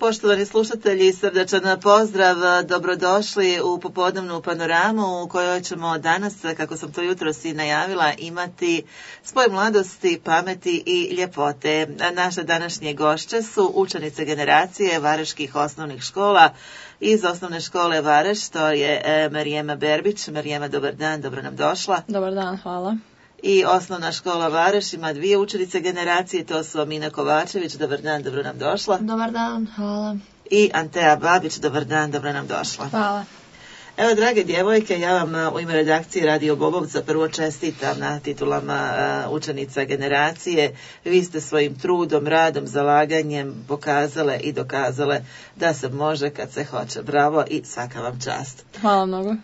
Poštovani slušatelji, srdačan pozdrav, dobrodošli u popodnevnu panoramu u kojoj ćemo danas, kako sam to jutros i najavila, imati spoj mladosti, pameti i ljepote. Naše današnje gošće su učenice generacije vareških osnovnih škola iz osnovne škole Vareš, to je Marijema Berbić. Marijema, dobar dan, dobro nam došla. Dobar dan, hvala. I osnovna škola Vareš ima dvije učenice generacije, to su Amina Kovačević, dobar dan, dobro nam došla. Dobar dan, hvala. I Antea Babić, dobar dan, dobro nam došla. Hvala. Evo, drage djevojke, ja vam u ime redakcije Radio Bobovca prvo čestitam na titulama učenica generacije. Vi ste svojim trudom, radom, zalaganjem pokazale i dokazale da se može kad se hoće. Bravo i svaka vam čast. Hvala mnogo.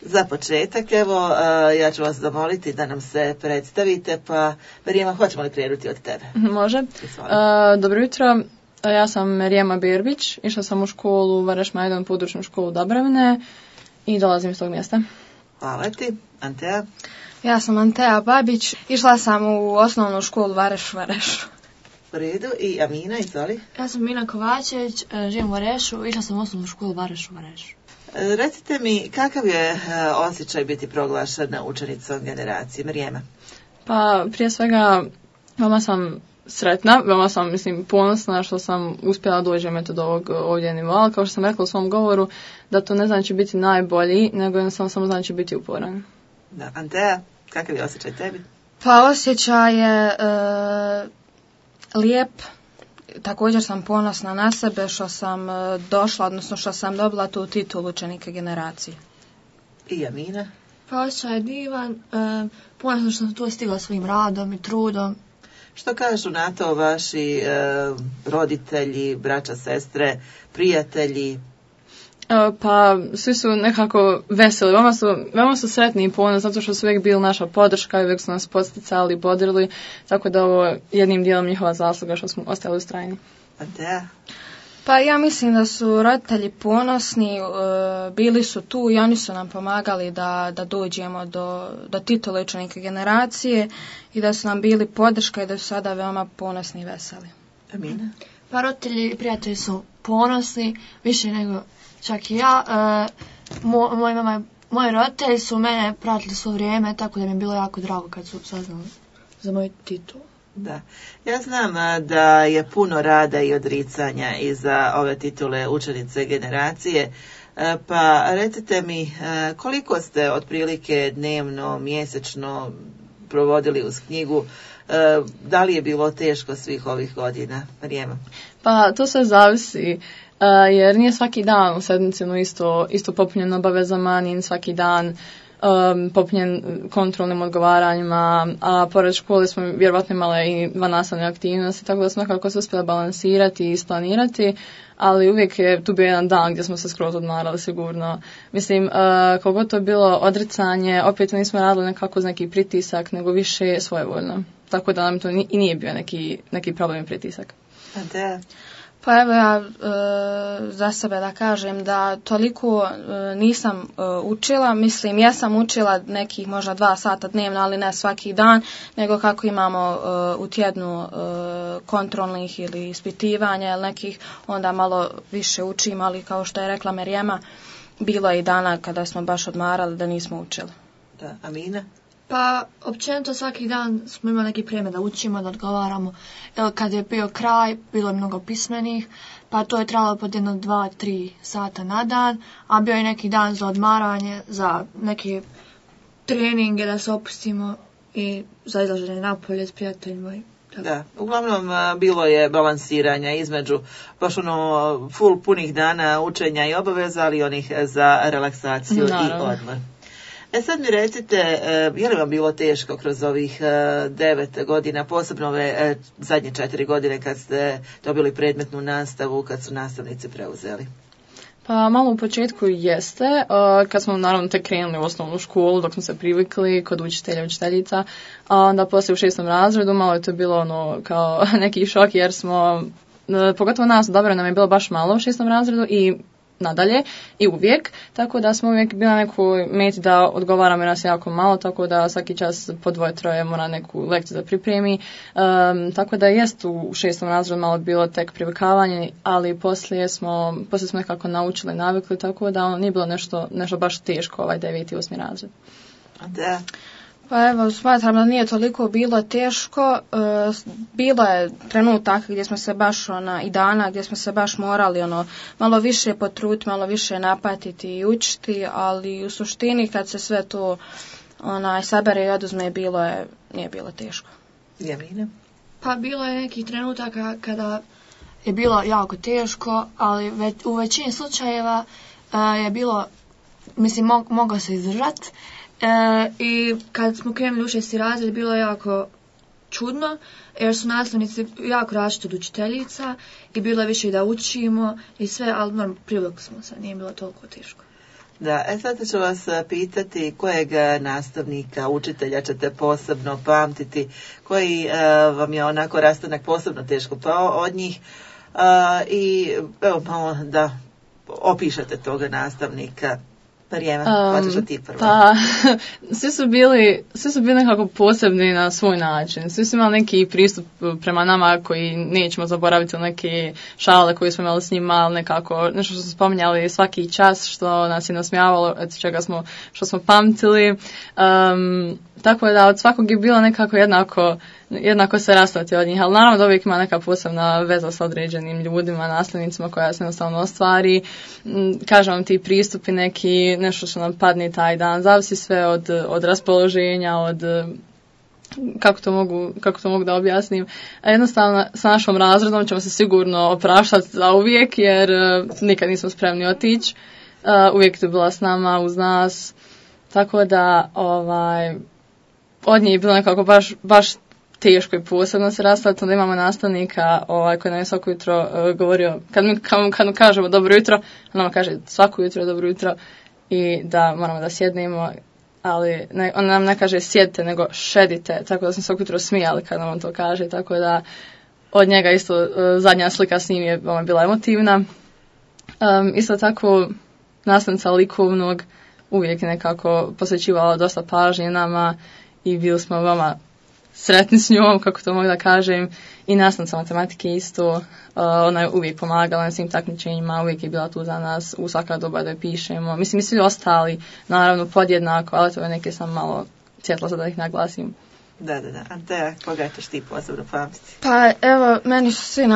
Za početak, evo, ja ću vas zamoliti da nam se predstavite, pa Marijema, hoćemo li krenuti od tebe? Može. Dobro jutro, ja sam Marijema Berbić, išla sam u školu Vareš Majdan, područnu školu Dabravne i dolazim iz tog mjesta. Hvala ti. Antea? Ja sam Antea Babić, išla sam u osnovnu školu Vareš. U redu. I Amina, izvoli. Ja sam Amina Kovačević, živim u Varešu, išla sam u osnovnu školu Vareš. Recite mi, kakav je osjećaj biti proglašena učenicom generacije? Marijema? Pa, prije svega, veoma sam sretna, veoma sam, ponosna što sam uspjela doći do ovog ovdje nivoa, kao što sam rekla u svom govoru, da to ne znači biti najbolji, nego jednostavno samo znači biti uporan. Da, Antea, kakav je osjećaj tebi? Pa, osjećaj je lijep. Također sam ponosna na sebe što sam došla, odnosno što sam dobila tu titulu učenike generacije. I Amina? Pa osjećaj je divan, ponosna što sam tu stigla svojim radom i trudom. Što kažu na to vaši roditelji, braća, sestre, prijatelji? Pa svi su nekako veseli, veoma su sretni i ponosni zato što su uvijek bili naša podrška i uvijek su nas podsticali, bodrili, tako da ovo jednim dijelom njihova zasluga što smo ostali ustrajni. Antea? Pa ja mislim da su roditelji ponosni, bili su tu i oni su nam pomagali da dođemo do titule učenike generacije i da su nam bili podrška i da su sada veoma ponosni i veseli. Amina? Pa roditelji i prijatelji su ponosni, više nego čak i ja. Moji roditelji su mene pratili svo vrijeme, tako da mi je bilo jako drago kad su saznali za moj titul. Da. Ja znam da je puno rada i odricanja iza ove titule učenice generacije, pa recite mi koliko ste otprilike dnevno, mjesečno provodili uz knjigu, da li je bilo teško svih ovih godina? Marijema? Pa to sve zavisi. Jer nije svaki dan u sedmici isto popunjen obavezama, nije svaki dan popunjen kontrolnim odgovaranjima, a pored škole smo vjerovatno imali i 2 nastavne aktivnosti, tako da smo nekako se uspjeli balansirati i isplanirati, ali uvijek je tu bio jedan dan gdje smo se skroz odmarali sigurno. Koliko to je bilo odricanje, opet nismo radili nekako uz neki pritisak, nego više svojevoljno. Tako da nam to i nije bio neki problem i pritisak. Antea? Pa evo ja za sebe da kažem da toliko nisam učila, ja sam učila nekih možda 2 sata dnevno, ali ne svaki dan, nego kako imamo u tjednu kontrolnih ili ispitivanja ili nekih, onda malo više učim, ali kao što je rekla Marijema, bilo je i dana kada smo baš odmarali da nismo učili. Da, Amina? Pa, općenito svaki dan smo imali neki vrijeme da učimo, da odgovaramo. Kad je bio kraj, bilo je mnogo pismenih, pa to je trebalo po 1, 2, 3 sata na dan, a bio je neki dan za odmaranje, za neke treninge da se opustimo i za izlaženje napolje s prijateljima. Da, uglavnom bilo je balansiranja između baš full punih dana učenja i obaveza, ali onih za relaksaciju i odmor. Sad mi recite, je li vam bilo teško kroz ovih 9 godina, posebno ove zadnje 4 godine kad ste dobili predmetnu nastavu, kad su nastavnici preuzeli? Pa malo u početku jeste, kad smo naravno tek krenuli u osnovnu školu, dok smo se privikli kod učitelja i učiteljica, a onda poslije u 6. razredu malo je to bilo kao neki šok jer smo, pogotovo nas dobro nam je bilo baš malo u 6. razredu i nadalje i uvijek, tako da smo uvijek bili na nekoj meti da odgovaramo jer nas jako malo, tako da svaki čas po 2-3 mora neku lekciju da pripremi, tako da jest u 6. razredu malo bilo tek privikavanje, ali poslije smo nekako naučili, navikli, tako da nije bilo nešto baš teško 9. i 8. razred. Da. Pa evo, smatram da nije toliko bilo teško. Bilo je trenutaka gdje smo se baš i dana gdje smo se baš morali malo više potruditi, malo više napatiti i učiti, ali u suštini kad se sve to sabere i oduzme nije bilo teško. Javina? Pa bilo je nekih trenutaka kada je bilo jako teško, ali u većini slučajeva je bilo, mislim, mogao se izdržati. I kad smo krenuli u 6. razred bilo je jako čudno jer su nastavnici jako različiti od učiteljica i bilo je više da učimo i sve, ali privukli smo se, nije bilo toliko teško. Da, sad ću vas pitati kojeg nastavnika, učitelja ćete posebno pamtiti, koji vam je onako rastanak posebno teško pao od njih i evo malo da opišete toga nastavnika. Marijema, hoćeš ti prvo? Pa, svi su bili nekako posebni na svoj način. Svi su imali neki pristup prema nama koji nećemo zaboraviti, neke šale koje smo imali s njima, nekako nešto što smo spominjali svaki čas, što nas je nasmijavalo, što smo pamtili. Tako da od svakog je bilo nekako jednako se rastati od njih, ali naravno da uvijek ima neka posebna veza sa određenim ljudima, nastavnicima koja se jednostavno ostvari. Kažem vam, ti pristupi neki, nešto što nam padne taj dan, zavisi sve od raspoloženja, od kako to mogu da objasnim. A jednostavno sa našom razredom ćemo se sigurno opraštati za uvijek jer nikad nismo spremni otići. Uvijek je bila s nama, uz nas. Tako da od njih je bilo nekako baš teško i posebno se rastati. Onda imamo nastavnika koji nam je svako jutro govorio, kad mu kažemo dobro jutro, on nam kaže svako jutro dobro jutro i da moramo da sjednemo, ali on nam ne kaže sjedite, nego šedite, tako da smo svako jutro smijali kad nam on to kaže, tako da od njega isto zadnja slika s njim je bila emotivna. Isto tako nastavnica likovnog uvijek je nekako posvećivala dosta pažnje nama i bili smo veoma sretni s njom, kako to mogu da kažem, i nastavnica matematike isto. Ona je uvijek pomagala na svim takmičenjima, uvijek je bila tu za nas u svaka doba da je pišemo. Mislim, i svi ostali, naravno, podjednako, ali to je neke sam malo sjetla sad da ih naglasim. Da. Anteja, koga ćeš ti posebno pamtiti? Pa evo, meni su svi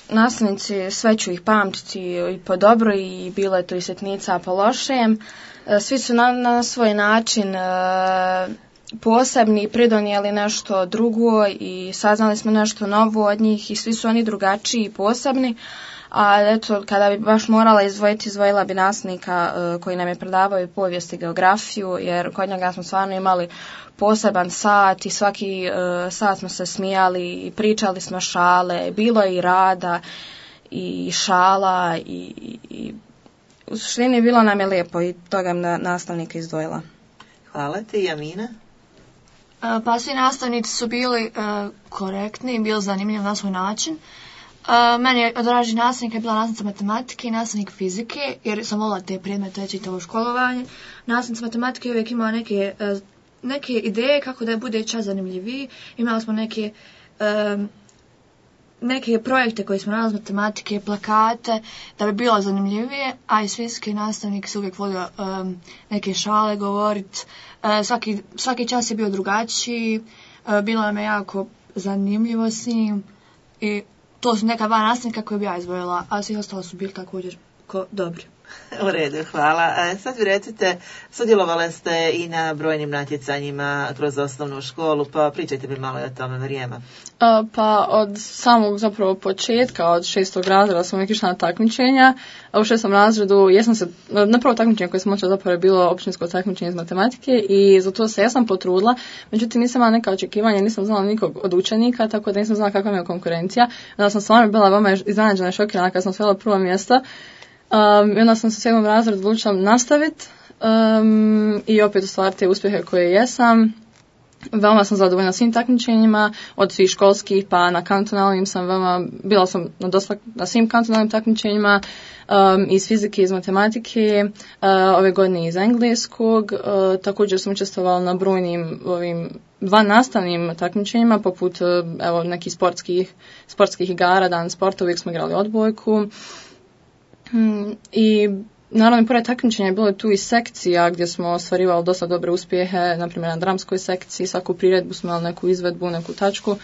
nastavnici, sve ću ih pamtiti i po dobro i bilo je to i sitnica po lošem. Svi su na svoj način posebni, pridonijeli nešto drugo i saznali smo nešto novo od njih i svi su oni drugačiji i posebni. A eto, kada bi baš morala izdvojila bi nastavnika koji nam je predavao i povijest i geografiju, jer kod njega smo stvarno imali poseban sat i svaki sat smo se smijali i pričali smo šale, bilo je i rada i šala i u suštini bilo nam je lijepo i toga nastavnika izdvojila. Hvala ti, Jamina. Pa svi nastavnici su bili korektni i bili zanimljivi na svoj način. Meni je odraži nastavnik je bila nastavnica matematike i nastavnik fizike, jer sam volila te predmete čitavo školovanje. Nastavnica matematike uvijek imala neke ideje kako da bude čas zanimljiviji. Imali smo neke projekte koje smo radili iz matematike, plakate, da bi bilo zanimljivije, a i fizike nastavnik se uvijek volio neke šale govoriti. Svaki čas je bio drugačiji, bilo nam je jako zanimljivo s njim i to su neka dva nastavnika koje bi ja izvojila, a svi ostali su bili također dobri. U redu, hvala. Sad vi recite, sudjelovali ste i na brojnim natjecanjima kroz osnovnu školu, pa pričajte mi malo o tome, Marijema. Pa od samog zapravo početka, od 6. razreda sam uvijek išla na takmičenja, a u 6. razredu na prvo takmičenje koje sam očela zapravo je bilo općinsko takmičenje iz matematike i za to se ja sam potrudila, međutim nisam imala neka očekivanja, nisam znala nikog od učenika, tako da nisam znala kakva mi je konkurencija. Onda sam stvarno bila veoma iznenađena i šokirana kad sam osvojila prvo mjesto. I onda sam se u 7. razredu odlučila nastaviti i opet ostvariti te uspjehe koje jesam. Veoma sam zadovoljna svim takmičenjima, od svih školskih pa na kantonalnim bila sam na svim kantonalnim takmičenjima, iz fizike, iz matematike, ove godine iz engleskog. Također sam učestvovala na brojnim vannastavnim takmičenjima, poput nekih sportskih igara, dan sporta, uvijek smo igrali odbojku. I naravno, pored takmičenja je bilo tu i sekcija gdje smo ostvarivali dosta dobre uspjehe, na primjer na dramskoj sekciji, svaku priredbu smo imali neku izvedbu, neku tačku.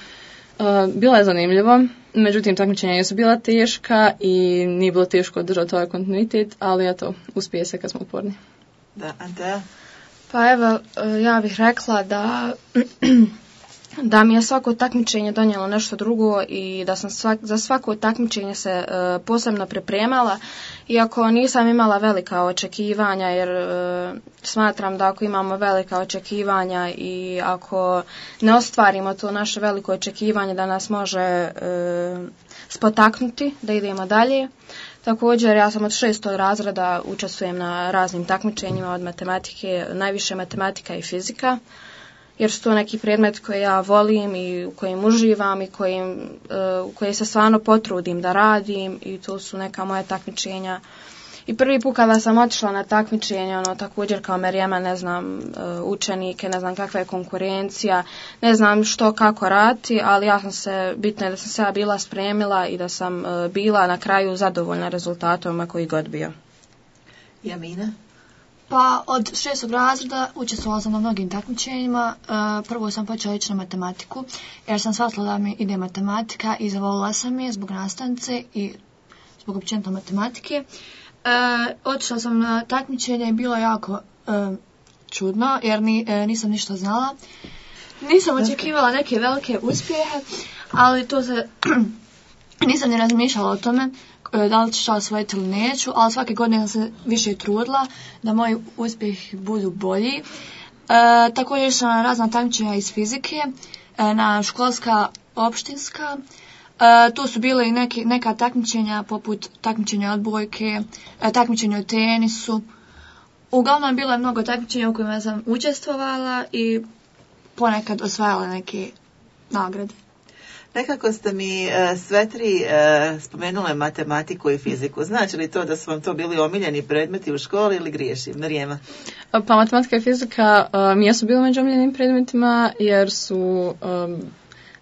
Bilo je zanimljivo, međutim takmičenja su bila teška i nije bilo teško održati ovaj kontinuitet, ali eto, uspije se kad smo uporni. Da, Antea? Pa evo, ja bih rekla da mi je svako takmičenje donijelo nešto drugo i da sam za svako takmičenje se posebno pripremala, iako nisam imala velika očekivanja, jer smatram da ako imamo velika očekivanja i ako ne ostvarimo to naše veliko očekivanje, da nas može spotaknuti da idemo dalje. Također, ja sam od 6. razreda učestvujem na raznim takmičenjima od matematike, najviše matematika i fizika, jer su to neki predmet koji ja volim i u kojim uživam i u koji se stvarno potrudim da radim, i to su neka moja takmičenja. I prvi put kada sam otišla na takmičenje, također kao Marijema, ne znam učenike, ne znam kakva je konkurencija, ne znam što kako raditi, ali bitno je da sam se ja bila spremila i da sam bila na kraju zadovoljna rezultatom koji god bio. Jamina? Pa od 6. razreda učestvovala sam na mnogim takmičenjima. Prvo sam počela ići na matematiku, jer sam shvatila da mi ide matematika i zavolila sam je zbog nastavnice i zbog općenito matematike. Otišla sam na takmičenje i bilo jako čudno, jer nisam ništa znala. Nisam očekivala neke velike uspjehe, ali nisam ni razmišljala o tome da li ću osvojiti ili neću, ali svake godine sam se više trudila da moji uspjeh budu bolji. Također sam na razna takmičenja iz fizike, na školska, opštinska. Tu su bile i neka takmičenja poput takmičenja odbojke, takmičenja u tenisu. Uglavnom bilo je mnogo takmičenja u kojima sam učestvovala i ponekad osvajala neke nagrade. Nekako ste mi sve tri spomenule matematiku i fiziku. Znači li to da su vam to bili omiljeni predmeti u školi ili griješim? Marijema? Pa matematika i fizika mi jesu bili među omiljenim predmetima jer su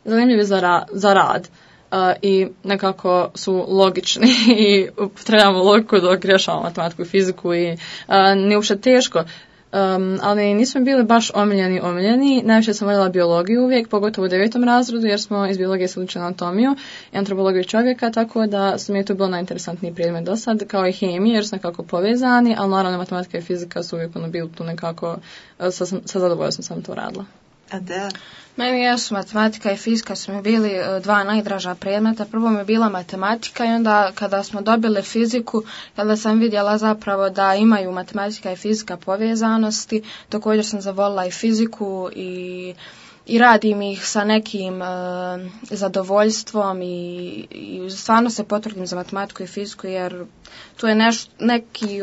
zanimljivi za rad. I nekako su logični i trebamo logiku dok rješavamo matematiku i fiziku i nije uopšte teško. Ali nismo bili baš omiljeni. Najviše sam voljela biologiju uvijek, pogotovo u 9. razredu, jer smo iz biologije se učili anatomiju i antropologiju čovjeka, tako da mi je to bilo najinteresantniji predmet do sad, kao i hemija, jer su nekako povezani, ali naravno matematika i fizika su uvijek bili tu nekako, sa zadovoljstvom sam to radila. A da? Meni jesu matematika i fizika su mi bili dva najdraža predmeta. Prvo mi je bila matematika i onda kada smo dobili fiziku, kada sam vidjela zapravo da imaju matematika i fizika povezanosti, također sam zavolila i fiziku i radim ih sa nekim zadovoljstvom i stvarno se potrudim za matematiku i fiziku, jer tu je neki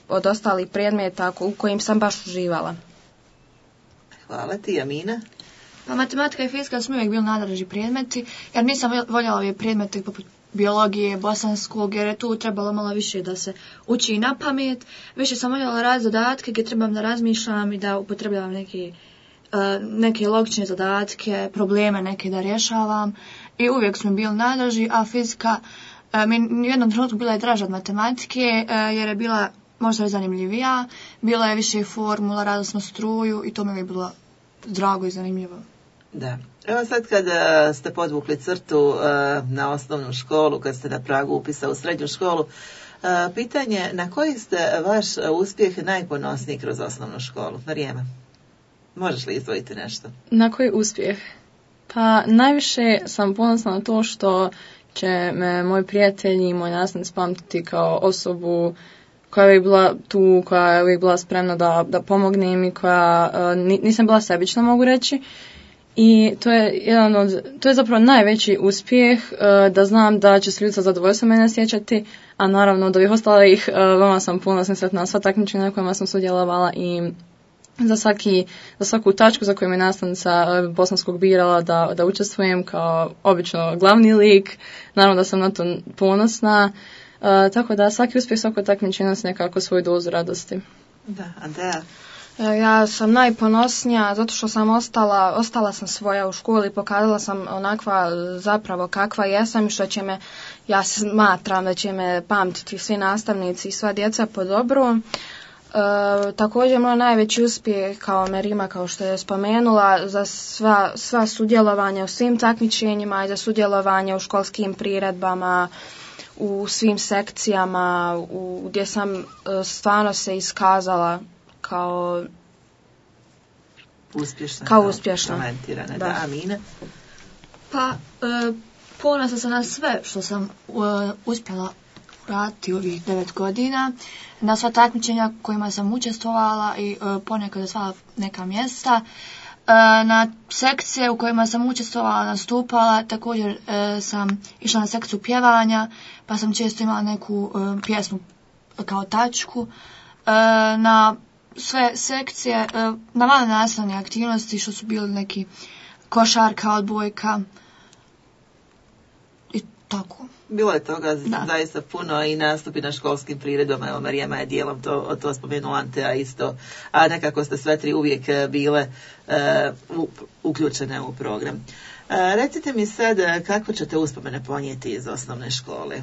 od ostalih predmeta u kojim sam baš uživala. Hvala ti, Jamina. Pa matematika i fizika su mi uvijek bili najdraži predmeti, jer nisam voljela ove predmete poput biologije, bosanskog, jer je tu trebalo malo više da se uči na pamet. Više sam voljela raditi zadatke gdje trebam da razmišljam i da upotrebljavam neke logične zadatke, probleme neke da rješavam. I uvijek su mi bili najdraži, a fizika mi u jednom trenutku bila je draža od matematike, jer je bila možda zanimljivija, bila je više formula, radili smo struju i to mi je bilo drago i zanimljivo. Da. Evo sad kad ste podvukli crtu na osnovnu školu, kad ste na pragu upisa u srednju školu, pitanje na koji ste vaš uspjeh najponosniji kroz osnovnu školu? Marijema, možeš li izdvojiti nešto? Na koji uspjeh? Pa najviše sam ponosna na to što će me moji prijatelji i moji nastavnici pamtiti kao osobu koja je uvijek bila tu, koja je uvijek bila spremna da pomognem i koja nisam bila sebična, mogu reći. I to je zapravo najveći uspjeh, da znam da će se ljudi sa zadovoljstvom mene sjećati, a naravno od ovih ostalih vama sam ponosna, sretna na sva takmičenja na kojima sam sudjelovala i za svaku tačku za koju me nastavnica bosanskog birala da učestvujem kao obično glavni lik. Naravno da sam na to ponosna. Tako da svaki uspjeh, svako takmičenje nosi nekako svoju dozu radosti. Da, Andreja? Ja sam najponosnija zato što sam ostala sam svoja u školi, pokazala sam onakva zapravo kakva jesam i što će me, ja smatram da će me pamtiti svi nastavnici i sva djeca po dobru. Također moj najveći uspjeh kao Merima, kao što je spomenula, za sva sudjelovanja u svim takmičenjima i za sudjelovanje u školskim priredbama, u svim sekcijama, gdje sam stvarno se iskazala kao uspješna. Talentirana. Da, Amina? Pa, ponosna sam na sve što sam uspjela raditi ovih 9 godina, na sva takmičenja kojima sam učestvovala i ponekad osvajala neka mjesta, na sekcije u kojima sam učestvovala, nastupala, također sam išla na sekciju pjevanja, pa sam često imala neku pjesmu kao tačku, na sve sekcije, na male nastavne aktivnosti što su bili neki košarka, odbojka i tako. Bilo je toga zaista puno i nastupi na školskim priredama. Evo, Marijama je dijelom to spomenula, Antea isto, a nekako ste sve tri uvijek bile uključene u program. Recite mi sad, kako ćete uspomene ponijeti iz osnovne škole?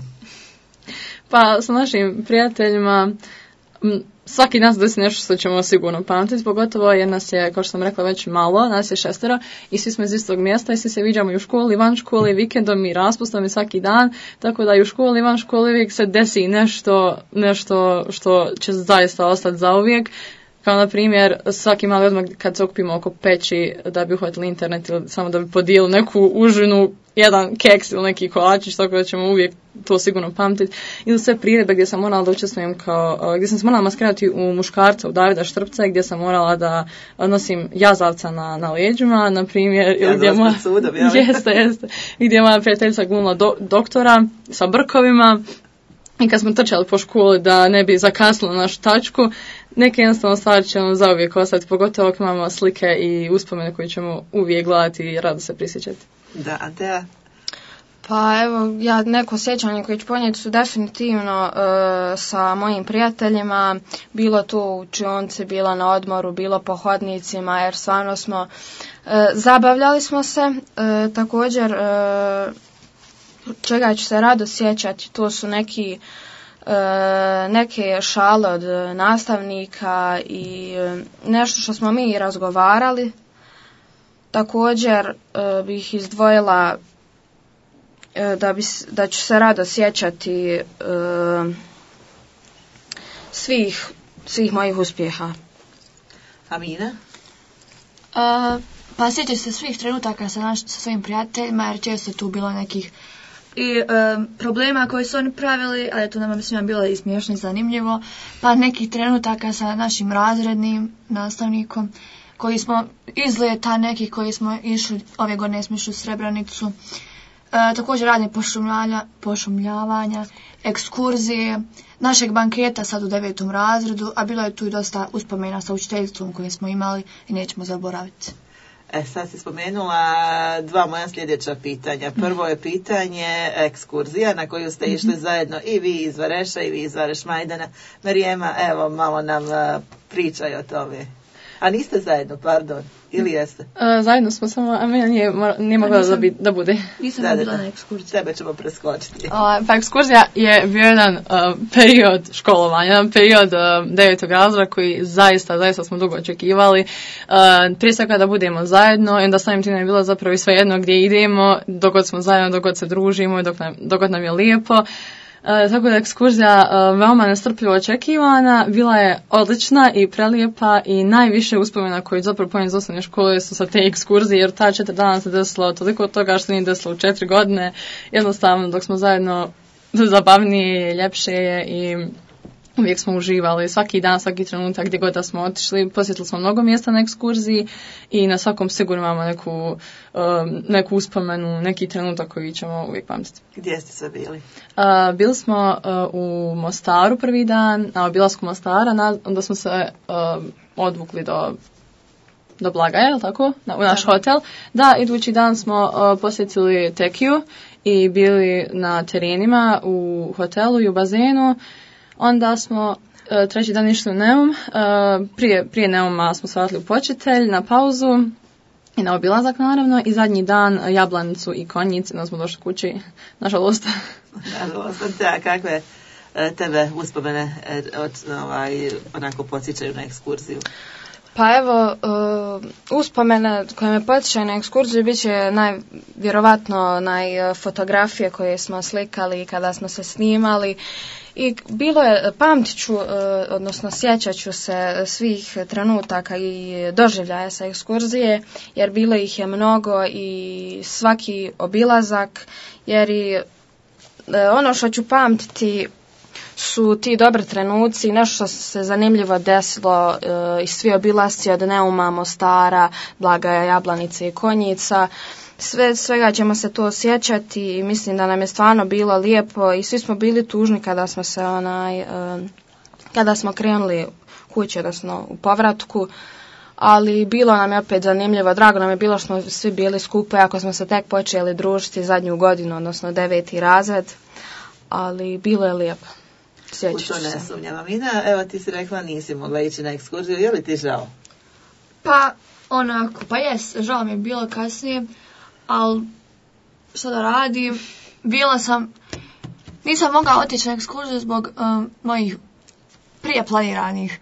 Pa sa našim prijateljima svaki dan se desi nešto što ćemo sigurno pamtiti, pogotovo jer nas je, kao što sam rekla, već malo, nas je 6 i svi smo iz istog mjesta i svi se viđamo i u školi, van školi, vikendom i raspustom i svaki dan, tako da i u školi, van školi uvijek se desi nešto što će zaista ostati zauvijek. Kao na primjer, svaki mali odmah kad se okupimo oko peći da bi uhvatili internet ili samo da bi podijeli neku užinu, jedan keks ili neki kolačić, tako da ćemo uvijek to sigurno pamtiti. Ili sve priredbe gdje sam morala da učestvujem gdje sam se morala maskirati u muškarca, u Davida Štrpca, gdje sam morala da nosim jazavca na leđima, na primjer, jeste, gdje je moja prijateljica glumila doktora sa brkovima. I kad smo trčali po školi da ne bi zakasnilo našu tačku, neke jednostavno stvari će nam zauvijek ostati, pogotovo ako imamo slike i uspomene koje ćemo uvijek gledati i rado se prisjećati. Da, Antea? Pa evo, neko sjećanje koje ću ponijeti su definitivno sa mojim prijateljima, bilo tu u učionci, bilo na odmoru, bilo po hodnicima, jer stvarno smo, zabavljali smo se, također čega ću se rado sjećati, to su neke šale od nastavnika i nešto što smo mi razgovarali. Također bih izdvojila da ću se rado sjećati svih mojih uspjeha. Amina? Pa sjećam se svih trenutaka sa svojim prijateljima, jer često je tu bilo nekih i problema koje su oni pravili, ali to nam svima bilo i smiješno i zanimljivo, pa nekih trenutaka sa našim razrednim nastavnikom, koji smo izleta nekih koji smo išli, ove godine smo išli u Srebrenicu, također radnje pošumljavanja, ekskurzije, našeg banketa sad u 9. razredu, a bilo je tu i dosta uspomena sa učiteljstvom koje smo imali i nećemo zaboraviti. Sad si spomenula 2 moja sljedeća pitanja. Prvo je pitanje ekskurzija na koju ste išli zajedno i vi iz Vareša i vi iz Vareš Majdana. Marijema, evo malo nam pričaj o tome. A niste zajedno, pardon, ili jeste? Zajedno smo, samo Amina nije mogla da bude. Nisam bila na ekskurziji. Tebe ćemo preskočiti. Pa ekskurzija je bio jedan period školovanja, jedan period 9. razreda koji zaista smo dugo očekivali. Prije svega da budemo zajedno i onda samim tim je bilo zapravo i svejedno gdje idemo, dok god smo zajedno, dok god se družimo i dok god nam je lijepo. Tako da ekskurzija veoma nestrpljivo očekivana, bila je odlična i prelijepa i najviše uspomena koji zapravo pojem iz osnovne škole su sa te ekskurzije, jer ta 4 dana se desilo toliko toga što nije desilo u 4 godine, jednostavno dok smo zajedno zabavnije, ljepše je i uvijek smo uživali, svaki dan, svaki trenutak gdje god da smo otišli, posjetili smo mnogo mjesta na ekskurziji i na svakom sigurno imamo neku uspomenu, neki trenutak koji ćemo uvijek pamtiti. Gdje ste sve bili? Bili smo u Mostaru prvi dan, na obilasku Mostara, onda smo se odvukli do Blagaja, je li tako? U naš hotel. Da, idući dan smo posjetili Tekiju i bili na terenima u hotelu i u bazenu. Onda smo treći dan išli u Neum. Prije Neuma smo se vratili u Počitelj na pauzu i na obilazak naravno. I zadnji dan Jablanicu i Konjice, onda smo došli kući, nažalost. Nažalost, a kakve tebe uspomene onako podsjećaju na ekskurziju? Pa evo, uspomene koje me podsjećaju na ekskurziju bit će vjerovatno fotografije koje smo slikali kada smo se snimali. I bilo je, pamtit ću, odnosno sjećat ću se svih trenutaka i doživljaja sa ekskurzije, jer bilo ih je mnogo i svaki obilazak, jer i ono što ću pamtiti su ti dobri trenuci, nešto što se zanimljivo desilo i svi obilasci od Neuma, Mostara, Blagaja, Jablanice i Konjica. Svega ćemo se to osjećati i mislim da nam je stvarno bilo lijepo i svi smo bili tužni kada smo krenuli kući, odnosno u povratku, ali bilo nam je opet zanimljivo, drago nam je bilo što smo svi bili skupa, ako smo se tek počeli družiti zadnju godinu, odnosno 9. razred, ali bilo je lijepo. U to ne sumnjam. Mina, evo ti si rekla nisi mogla ići na ekskurziju, je li ti žao? Pa onako, pa jes, žao mi je bilo kasnije, ali što da radim, nisam mogla otići na ekskurziju zbog mojih prije planiranih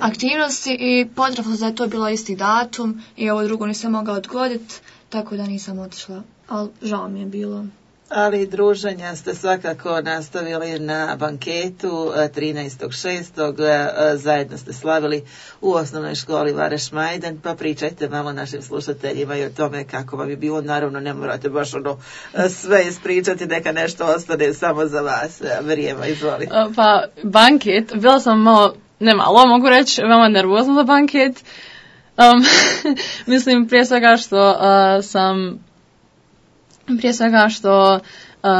aktivnosti i potrebno da je to bilo isti datum i ovo drugo nisam mogla odgoditi, tako da nisam otišla, ali žao mi je bilo. Ali druženja ste svakako nastavili na banketu 13.6. Zajedno ste slavili u osnovnoj školi Vareš Majdan, pa pričajte malo našim slušateljima i o tome kako vam je bilo. Naravno, ne morate baš sve ispričati, neka nešto ostane samo za vas. Vrijeme, izvoli. Pa banket, bila sam malo, mogu reći, veoma nervozna za banket. Mislim, prije svega što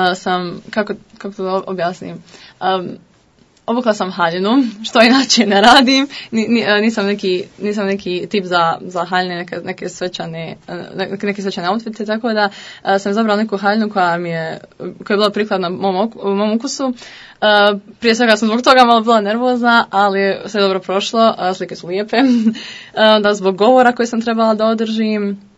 sam, kako to objasnim, obukla sam haljinu, što inače ne radim, nisam neki tip za haljine, neke svečane outfite, tako da sam izabrala neku haljinu koja je bila prikladna mom ukusu. Prije svega sam zbog toga malo bila nervozna, ali sve dobro prošlo, slike su lijepe, da zbog govora koji sam trebala da održim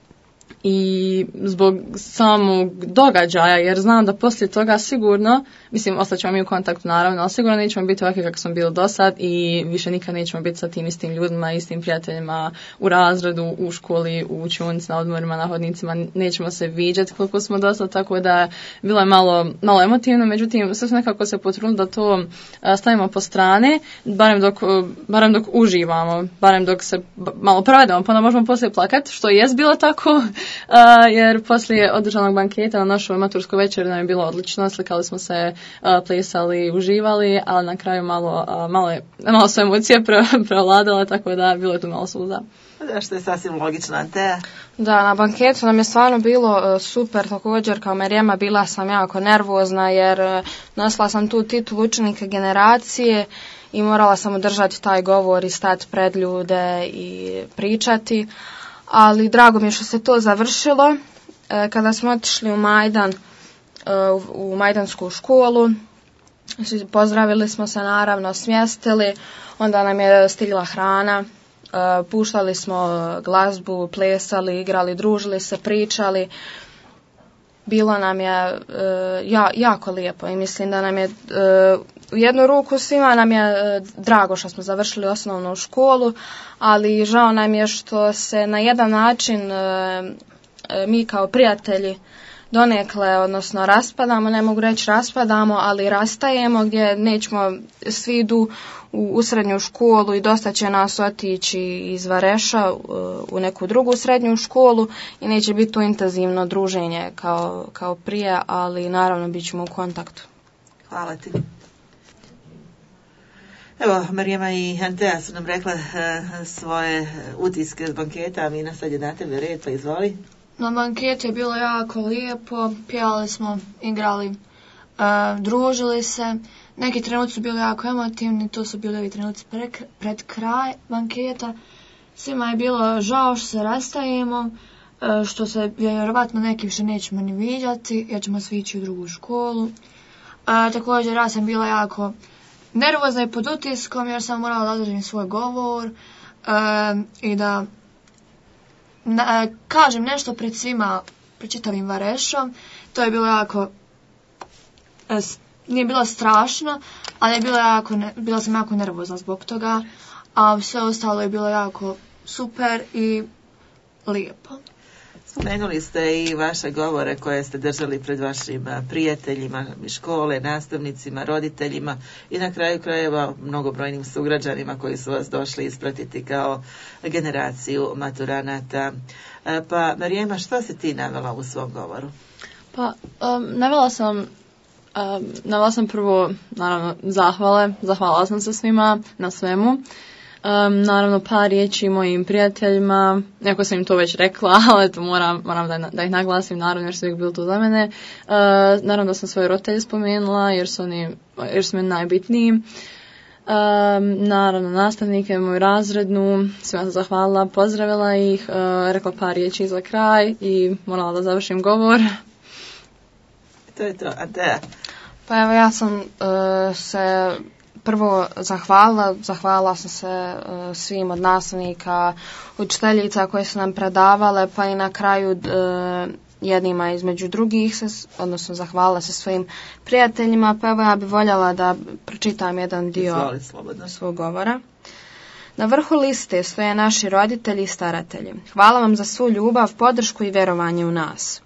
i zbog samog događaja, jer znam da poslije toga sigurno, mislim, ostaćemo mi u kontaktu naravno, ali sigurno nećemo biti ovakvi kako smo bili do sad i više nikad nećemo biti sa tim istim ljudima, istim prijateljima u razredu, u školi, u učionici, na odmorima, na hodnicima, nećemo se viđati koliko smo do sad, tako da bilo je malo emotivno, međutim, sve nekako se potrudili da to stavimo po strane, barem dok uživamo, barem dok se malo provedemo, pa onda možemo poslije plakati, što jest bilo tako, jer poslije održanog banketa na našoj maturskoj večeri nam je bilo odlično, slikali smo se, plesali, uživali, ali na kraju malo su emocije prevladale, tako da bilo je tu malo suza. Što je sasvim logično, Anteja? Da, na banketu nam je stvarno bilo super, također kao Marijema bila sam jako nervozna jer nosila sam tu titulu učenika generacije i morala sam održati taj govor i stati pred ljude i pričati, ali drago mi je što se to završilo. Kada smo otišli u Majdan, u Majdansku školu, pozdravili smo se naravno, smjestili, onda nam je stigla hrana, puštali smo glazbu, plesali, igrali, družili se, pričali. Bilo nam je jako lijepo i mislim da nam je u jednu ruku svima nam je drago što smo završili osnovnu školu, ali žao nam je što se na jedan način mi kao prijatelji donekle, odnosno raspadamo, ne mogu reći raspadamo, ali rastajemo gdje nećemo, svi idu u srednju školu i dosta će nas otići iz Vareša u neku drugu srednju školu i neće biti to intenzivno druženje kao prije, ali naravno bit ćemo u kontaktu. Hvala ti. Evo, Marijema i Antea su nam rekla svoje utiske s banketa, a Mina sad je na tebe red, pa izvoli. Na banketu je bilo jako lijepo, pjevali smo, igrali, družili se. Neki trenuci su bili jako emotivni, to su bili ovi trenuci pred kraj banketa. Svima je bilo žao što se rastajemo, što se vjerovatno neki više nećemo ni viđati, jer ćemo svi ići u drugu školu. Također ja sam bila jako nervozna i pod utiskom jer sam morala da održim svoj govor i da kažem nešto pred svima, pred čitavim Varešom. To je bilo jako, nije bilo strašno, ali je bila sam jako nervozna zbog toga, a sve ostalo je bilo jako super i lijepo. Spomenuli ste i vaše govore koje ste držali pred vašim prijateljima, škole, nastavnicima, roditeljima i na kraju krajeva mnogobrojnim sugrađanima koji su vas došli ispratiti kao generaciju maturanata. Pa Marijema, što si ti navela u svom govoru? Pa navela sam prvo naravno zahvalila sam se svima na svemu. Naravno par riječi mojim prijateljima, neko sam im to već rekla, ali eto moram da ih naglasim, naravno jer su uvijek bili tu za mene. Naravno da sam svoje roditelje spomenula jer su mi najbitniji. Naravno nastavnike, moju razrednu, svima sam zahvalila, pozdravila ih, rekla par riječi za kraj i morala da završim govor. To je to, Antea. Pa evo ja sam se prvo zahvalila sam se svim od nastavnika, učiteljica koje su nam predavale, pa i na kraju jednima između drugih, odnosno zahvalila se svojim prijateljima, pa evo ja bih voljela da pročitam jedan dio svog govora. Na vrhu liste stoje naši roditelji i staratelji. Hvala vam za svu ljubav, podršku i vjerovanje u nas.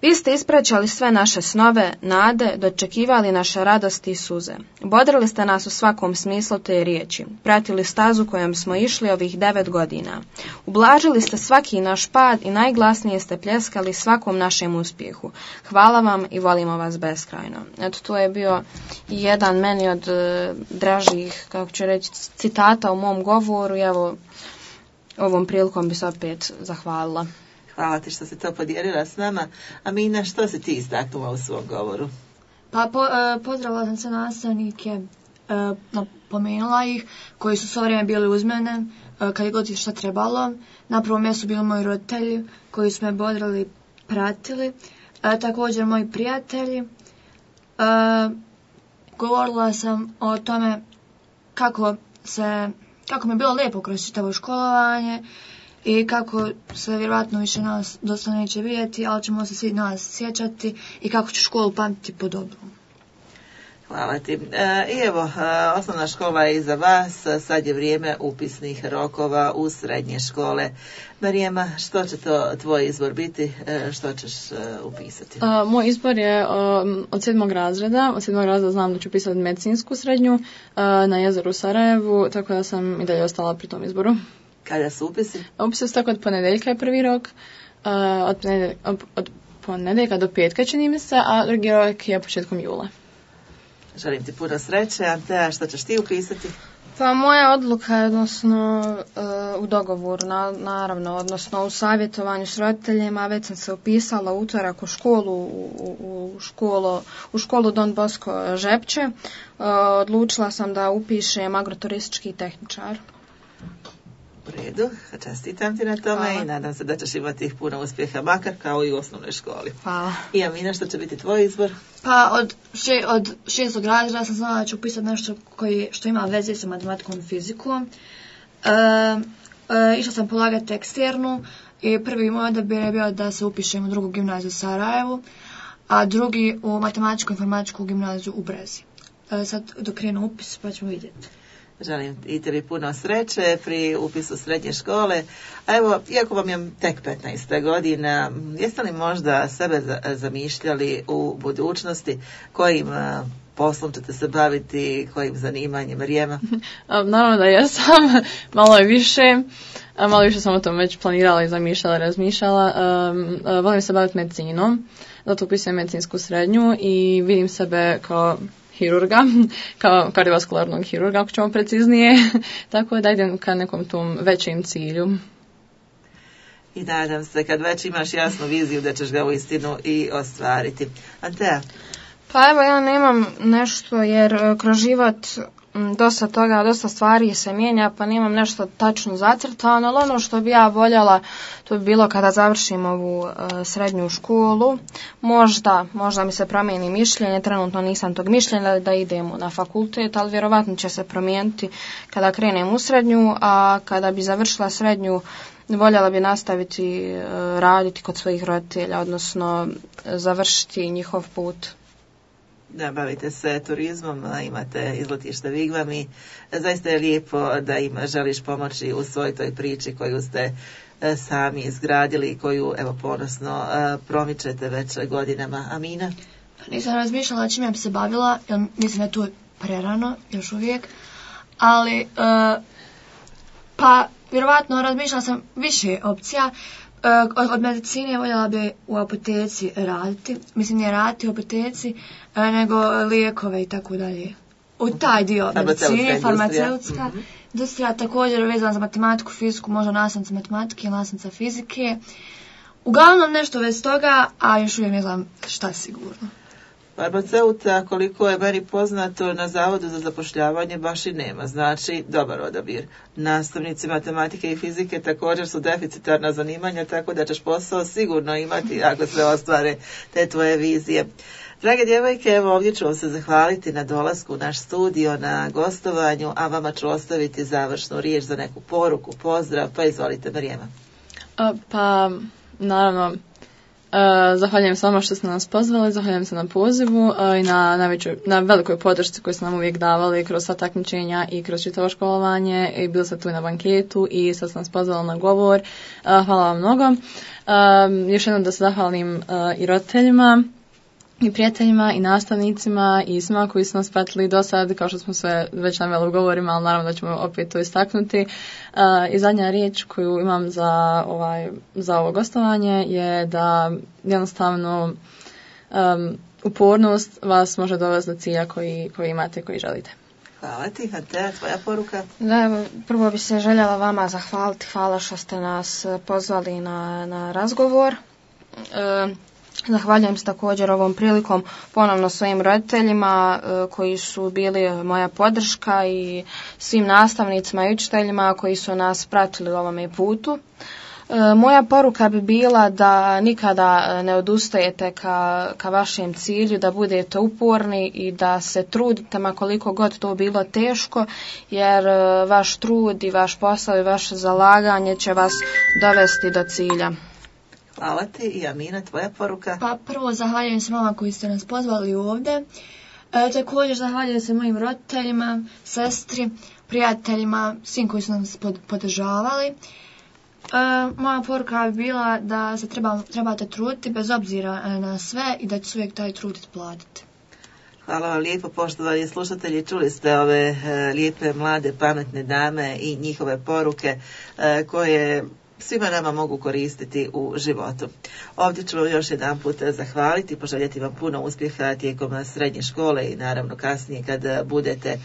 Vi ste ispraćali sve naše snove, nade, dočekivali naše radosti i suze. Bodrili ste nas u svakom smislu te riječi, pratili stazu kojom smo išli ovih 9 godina. Ublažili ste svaki naš pad i najglasnije ste pljeskali svakom našem uspjehu. Hvala vam i volimo vas beskrajno. Eto, to je bio jedan meni od dražih, kako ću reći, citata u mom govoru i evo, ovom prilikom bi se opet zahvalila. Hvala ti što si to podijelila s nama. A Mina, što si ti istaknula u svom govoru? Pa pozdravila sam se nastavnike, napomenula ih, koji su svo vrijeme bili uz mene, kad je god šta trebalo. Na prvom mjestu bili moji roditelji, koji su me bodrili, pratili. Također moji prijatelji. Govorila sam o tome kako mi je bilo lijepo kroz čitavo školovanje, i kako se vjerojatno više nas dosta neće vidjeti, ali ćemo se svi nas sjećati i kako ću školu pamtiti po dobru. Hvala ti. I evo, osnovna škola je iza vas, sad je vrijeme upisnih rokova u srednje škole. Marijema, što će to tvoj izbor biti? Što ćeš upisati? Moj izbor je od 7. razreda. Od 7. razreda znam da ću upisati medicinsku srednju na jezeru u Sarajevu, tako da sam i dalje ostala pri tom izboru. Kada su upisi? Upisi su tako od ponedjeljka je prvi rok, od ponedjeljka do petka čini mi se, a drugi rok je početkom jula. Želim ti puno sreće. Antea, što ćeš ti upisati? Pa moja odluka je u dogovoru, naravno, odnosno u savjetovanju s roditeljima. Već sam se upisala utorak u školu, u školu Don Bosco Žepče. Odlučila sam da upišem agroturistički tehničar. U redu, čestitam ti na tome. Hvala. I nadam se da ćeš imati puno uspjeha, makar kao i u osnovnoj školi. Hvala. I Amina, što će biti tvoj izbor? Pa od 6. razreda sam znala da ću upisati nešto što ima veze sa matematikom i fizikom. Išla sam polagati eksternu i prvi moj odabir je bio da se upišem u drugu gimnaziju u Sarajevu, a drugi u matematičku i informatičku gimnaziju u Brezi. Sad dok krenu upis pa ćemo vidjeti. Želim i tebi puno sreće pri upisu srednje škole. A evo, iako vam je tek 15 godina, jeste li možda sebe zamišljali u budućnosti? Kojim poslom ćete se baviti, kojim zanimanjem, Marijema? Naravno da jesam, malo više sam o tom već planirala i zamišljala, razmišljala. Volim se baviti medicinom, zato upisujem medicinsku srednju i vidim sebe kao hirurga, kao kardiovaskularnog hirurga, ako ćemo preciznije, tako da idem ka nekom tom većem cilju. I nadam se kad već imaš jasnu viziju da ćeš ga uistinu i ostvariti. Antea? Pa evo, ja nemam nešto jer kroz život dosta stvari se mijenja, pa nemam nešto tačno zacrtano, ali ono što bi ja voljela, to bi bilo kada završim ovu srednju školu. Možda mi se promijeni mišljenje, trenutno nisam tog mišljenja da idem na fakultet, ali vjerovatno će se promijeniti kada krenem u srednju, a kada bi završila srednju, voljela bi nastaviti raditi kod svojih roditelja, odnosno završiti njihov put. Da, bavite se turizmom, imate izletište Vigvam i zaista je lijepo da im želiš pomoći u svoj toj priči koju ste sami izgradili i koju evo ponosno promičete već godinama. Amina? Nisam razmišljala čime bi se bavila, jer mislim da je to prerano još uvijek, ali pa vjerovatno razmišljala sam više opcija. Od medicine voljela bi u apoteci raditi, mislim nije raditi u apoteci, nego lijekove i tako dalje. U taj dio medicine, farmaceutska industrija, također vezana za matematiku, fiziku, možda nastavnica matematike ili nastavnica fizike. Uglavnom nešto već toga, a još uvijek ne znam šta sigurno. Farmaceuta, koliko je meni poznato, na Zavodu za zapošljavanje baš i nema, znači dobar odabir. Nastavnici matematike i fizike također su deficitarna zanimanja, tako da ćeš posao sigurno imati ako se ostvare te tvoje vizije. Drage djevojke, evo ovdje ću vam se zahvaliti na dolasku u naš studio, na gostovanju, a vama ću ostaviti završnu riječ za neku poruku, pozdrav, pa izvolite Marijema. Pa, naravno, zahvaljujem se vama što ste nas pozvali, zahvaljujem se na pozivu i na velikoj podršci koju ste nam uvijek davali kroz sva takmičenja i kroz čitavo školovanje i bili ste tu i na banketu i sad ste nas pozvali na govor. Hvala vam mnogo. Još jednom da se zahvalim i roditeljima i prijateljima i nastavnicima i svima koji su nas pratili do sad, kao što smo sve već naveli u govorima, ali naravno da ćemo opet to istaknuti. I zadnja riječ koju imam za ovo gostovanje je da jednostavno upornost vas može dovesti do cilja koji imate, koji želite. Hvala ti, Antea, tvoja poruka? Da, prvo bi se željela vama zahvaliti, hvala što ste nas pozvali na razgovor. Zahvaljujem se također ovom prilikom ponovno svojim roditeljima koji su bili moja podrška i svim nastavnicima i učiteljima koji su nas pratili u ovome putu. Moja poruka bi bila da nikada ne odustajete ka vašem cilju, da budete uporni i da se trudite ma koliko god to bilo teško, jer vaš trud i vaš posao i vaše zalaganje će vas dovesti do cilja. Hvala ti. I Amina, tvoja poruka? Pa prvo zahvaljujem se vama koji ste nas pozvali ovdje. Također zahvaljujem se mojim roditeljima, sestri, prijateljima, svim koji su nas podržavali. Moja poruka bi bila da se trebate truditi bez obzira na sve i da će uvijek taj trud platiti. Hvala vam lijepo, poštovani slušatelji. Čuli ste ove lijepe, mlade, pametne dame i njihove poruke koje svima nama mogu koristiti u životu. Ovdje ću vam još jedan put zahvaliti, poželjeti vam puno uspjeha tijekom srednje škole i naravno kasnije kad budete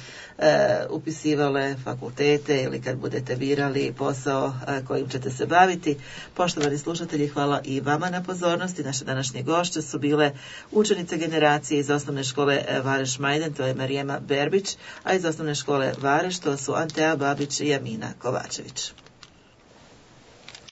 upisivale fakultete ili kad budete birali posao kojim ćete se baviti. Poštovani slušatelji, hvala i vama na pozornosti. Naše današnje gošće su bile učenice generacije iz osnovne škole Vareš Majden, to je Marijema Berbić, a iz osnovne škole Vareš to su Antea Babić i Amina Kovačević.